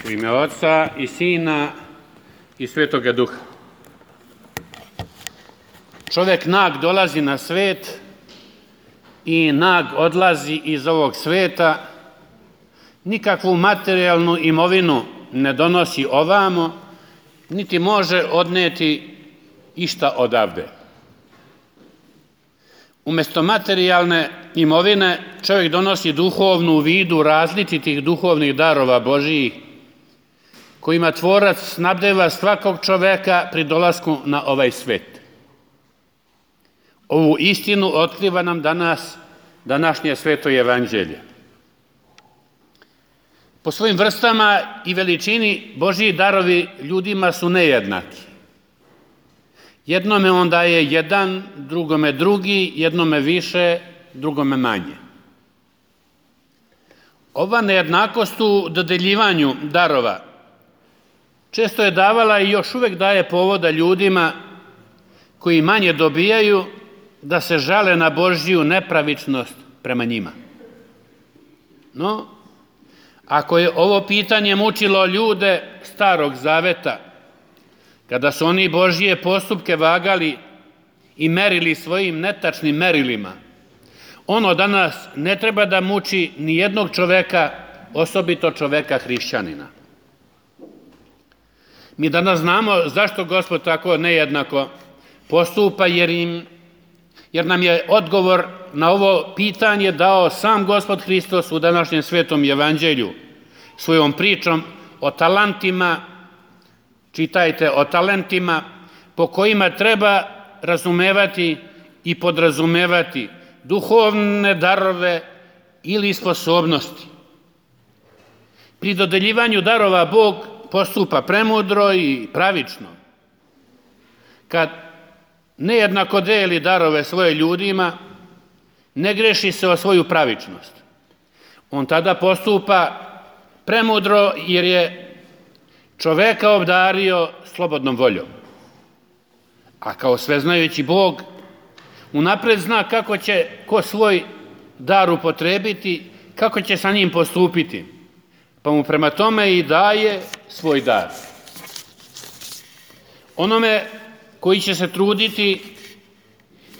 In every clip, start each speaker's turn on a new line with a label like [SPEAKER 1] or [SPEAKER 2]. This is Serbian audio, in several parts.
[SPEAKER 1] U ime Oca i Sina i Svetoga Duha. Čovjek nag dolazi na svet i nag odlazi iz ovog sveta, nikakvu materijalnu imovinu ne donosi ovamo, niti može odneti išta odavde. Umjesto materijalne imovine čovjek donosi duhovnu u vidu različitih duhovnih darova Božijih, kojima Tvorac snabdeva svakog čovjeka pri dolasku na ovaj svet. Ovu istinu otkriva nam današnje sveto evanđelje. Po svojim vrstama i veličini Božji darovi ljudima su nejednaki. Jednome on daje jedan, drugome drugi, jednome više, drugome manje. Ova nejednakost u dodeljivanju darova često je davala i još uvijek daje povoda ljudima koji manje dobijaju da se žale na Božju nepravičnost prema njima. No, ako je ovo pitanje mučilo ljude Starog Zaveta, kada su oni Božje postupke vagali i merili svojim netačnim merilima, ono danas ne treba da muči ni jednog čoveka, osobito čoveka hrišćanina. Mi danas znamo zašto Gospod tako nejednako postupa, jer nam je odgovor na ovo pitanje dao sam Gospod Hristos u današnjem svetom evanđelju svojom pričom o talentima. Čitajte o talentima po kojima treba razumevati i podrazumevati duhovne darove ili sposobnosti. Pri dodeljivanju darova Bog postupa premudro i pravično. Kad nejednako deli darove svoje ljudima, ne greši se o svoju pravičnost. On tada postupa premudro jer je čoveka obdario slobodnom voljom. A kao sveznajući Bog unapred zna kako će ko svoj dar upotrebiti, kako će sa njim postupiti, pa mu prema tome i daje svoj dar. Onome koji će se truditi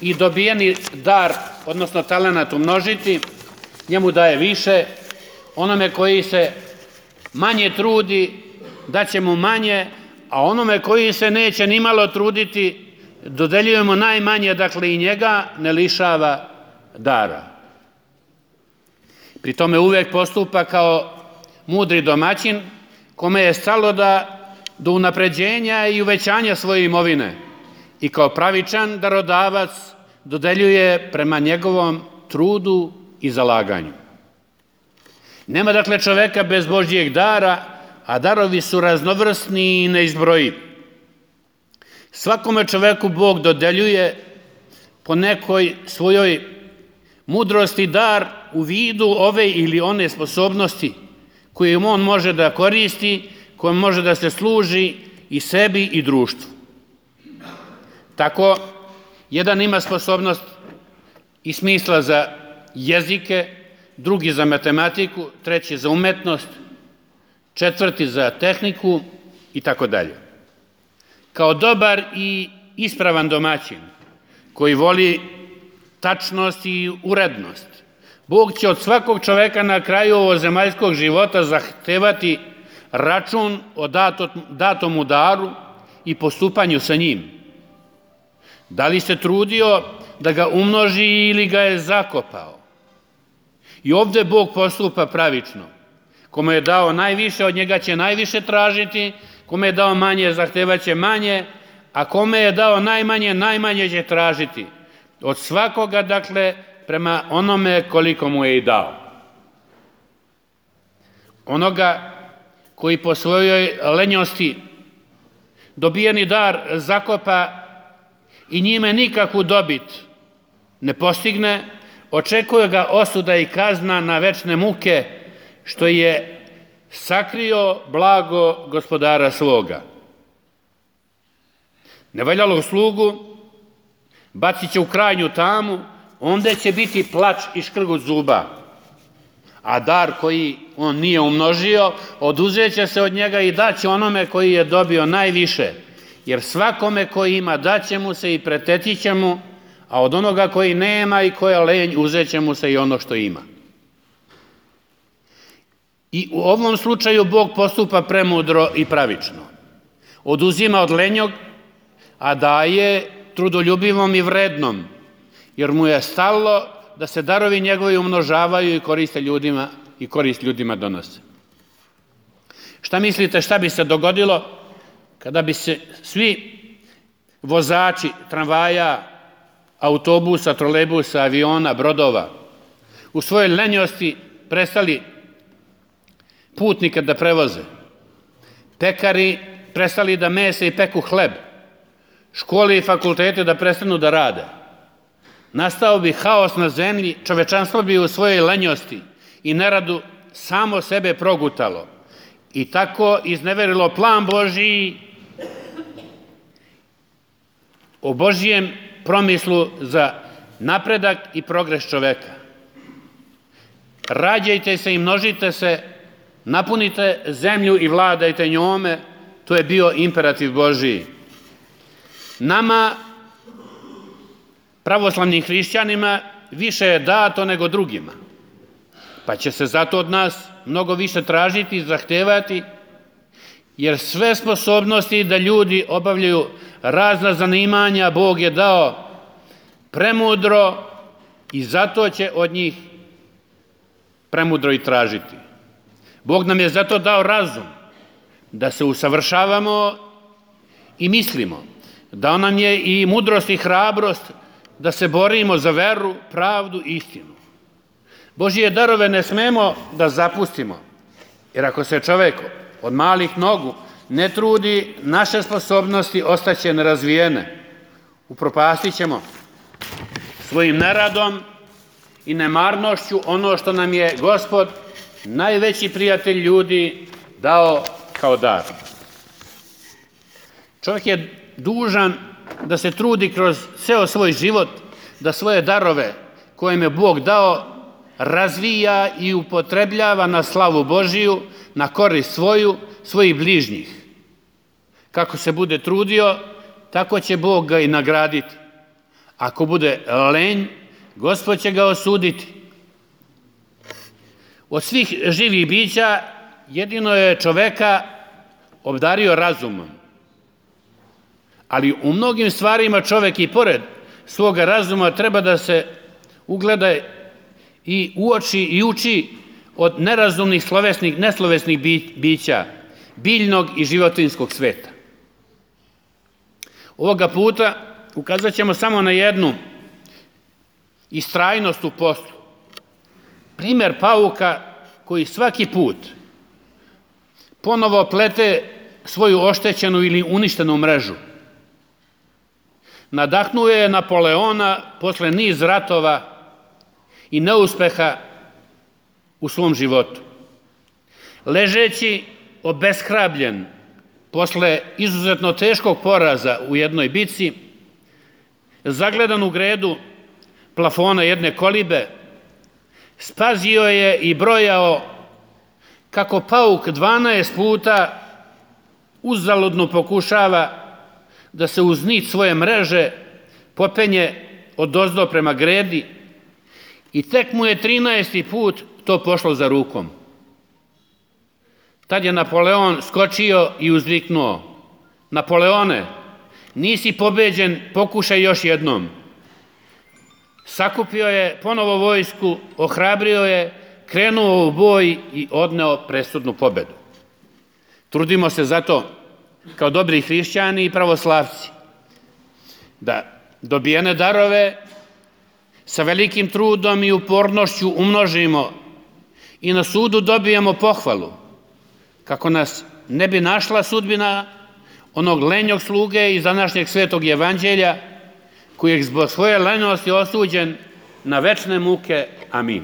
[SPEAKER 1] i dobijeni dar, odnosno talenat umnožiti, njemu daje više. Onome koji se manje trudi, daće mu manje, a onome koji se neće nimalo truditi, dodeljujemo najmanje, dakle i njega ne lišava dara. Pri tome uvijek postupa kao mudri domaćin, kome je stalo do unapređenja i uvećanja svoje imovine i kao pravičan darodavac dodeljuje prema njegovom trudu i zalaganju. Nema dakle čoveka bez Božjeg dara, a darovi su raznovrsni i neizbrojivi. Svakome čoveku Bog dodeljuje po nekoj svojoj mudrosti dar u vidu ove ili one sposobnosti koje on može da koristi, kojom može da se služi i sebi i društvu. Tako, jedan ima sposobnost i smisla za jezike, drugi za matematiku, treći za umetnost, četvrti za tehniku i tako dalje. Kao dobar i ispravan domaćin koji voli tačnost i urednost, Bog će od svakog čoveka na kraju ovozemaljskog života zahtevati račun o datom mu daru i postupanju sa njim. Da li se trudio da ga umnoži ili ga je zakopao? I ovdje Bog postupa pravično. Kome je dao najviše, od njega će najviše tražiti, kome je dao manje, zahtevat će manje, a kome je dao najmanje, najmanje će tražiti. Od svakoga, dakle, prema onome koliko mu je i dao. Onoga koji po svojoj lenjosti dobijeni dar zakopa i njime nikakvu dobit ne postigne, očekuje ga osuda i kazna na večne muke, što je sakrio blago gospodara svoga. Nevaljalog slugu bacit će u krajnju tamu, onda će biti plač i škrgut zuba. a dar koji on nije umnožio, oduzet će se od njega i daće onome koji je dobio najviše. Jer svakome koji ima daće mu se i pretetit će mu, a od onoga koji nema i koji je lenj uzet će mu se i ono što ima. I u ovom slučaju Bog postupa premudro i pravično. Oduzima od lenjog, a daje trudoljubivom i vrednom, jer mu je stalo da se darovi njegovi umnožavaju i korist ljudima donose. Šta mislite šta bi se dogodilo kada bi se svi vozači tramvaja, autobusa, trolejbusa, aviona, brodova u svojoj lenjosti prestali putnike da prevoze, pekari prestali da mese i peku hleb, škole i fakultete da prestanu da rade? Nastao bi haos na zemlji, čovečanstvo bi u svojoj lenjosti i neradu samo sebe progutalo i tako izneverilo plan Božiji o Božijem promislu za napredak i progres čoveka. Rađajte se i množite se, napunite zemlju i vladajte njome, to je bio imperativ Božiji. Nama, pravoslavnim hrišćanima, više je dato nego drugima, pa će se zato od nas mnogo više tražiti i zahtevati, jer sve sposobnosti da ljudi obavljaju razna zanimanja Bog je dao premudro i zato će od njih premudro i tražiti. Bog nam je zato dao razum da se usavršavamo i mislimo, dao nam je i mudrost i hrabrost da se borimo za veru, pravdu i istinu. Božije darove ne smemo da zapustimo, jer ako se čovek od malih nogu ne trudi, naše sposobnosti ostaće nerazvijene. Upropastit ćemo svojim neradom i nemarnošću ono što nam je Gospod, najveći prijatelj ljudi, dao kao dar. Čovjek je dužan da se trudi kroz ceo svoj život, da svoje darove koje mu je Bog dao razvija i upotrebljava na slavu Božiju, na korist svojih bližnjih. Kako se bude trudio, tako će Bog ga i nagraditi. Ako bude lenj, Gospod će ga osuditi. Od svih živih bića jedino je čoveka obdario razumom. Ali u mnogim stvarima čovek i pored svoga razuma treba da se ugleda i uoči i uči od nerazumnih neslovesnih bića, biljnog i životinjskog sveta. Ovoga puta ukazat ćemo samo na jednu istrajnost u poslu. Primer pauka koji svaki put ponovo plete svoju oštećenu ili uništenu mrežu. Nadahnuo je Napoleona posle niz ratova i neuspeha u svom životu. Ležeći obeshrabljen posle izuzetno teškog poraza u jednoj bici, zagledan u gredu plafona jedne kolibe, spazio je i brojao kako pauk 12 puta uzaludno pokušava da se uz nit svoje mreže popenje odozdo prema gredi i tek mu je 13. put to pošlo za rukom. Tad je Napoleon skočio i uzviknuo: Napoleone, nisi pobeđen, pokušaj još jednom. Sakupio je ponovo vojsku, ohrabrio je, krenuo u boj i odneo presudnu pobedu. Trudimo se zato, kao dobri hrišćani i pravoslavci, da dobijene darove sa velikim trudom i upornošću umnožimo i na sudu dobijemo pohvalu, kako nas ne bi našla sudbina onog lenjog sluge iz današnjeg svetog evanđelja, koji je zbog svoje lenjosti osuđen na večne muke. Amin.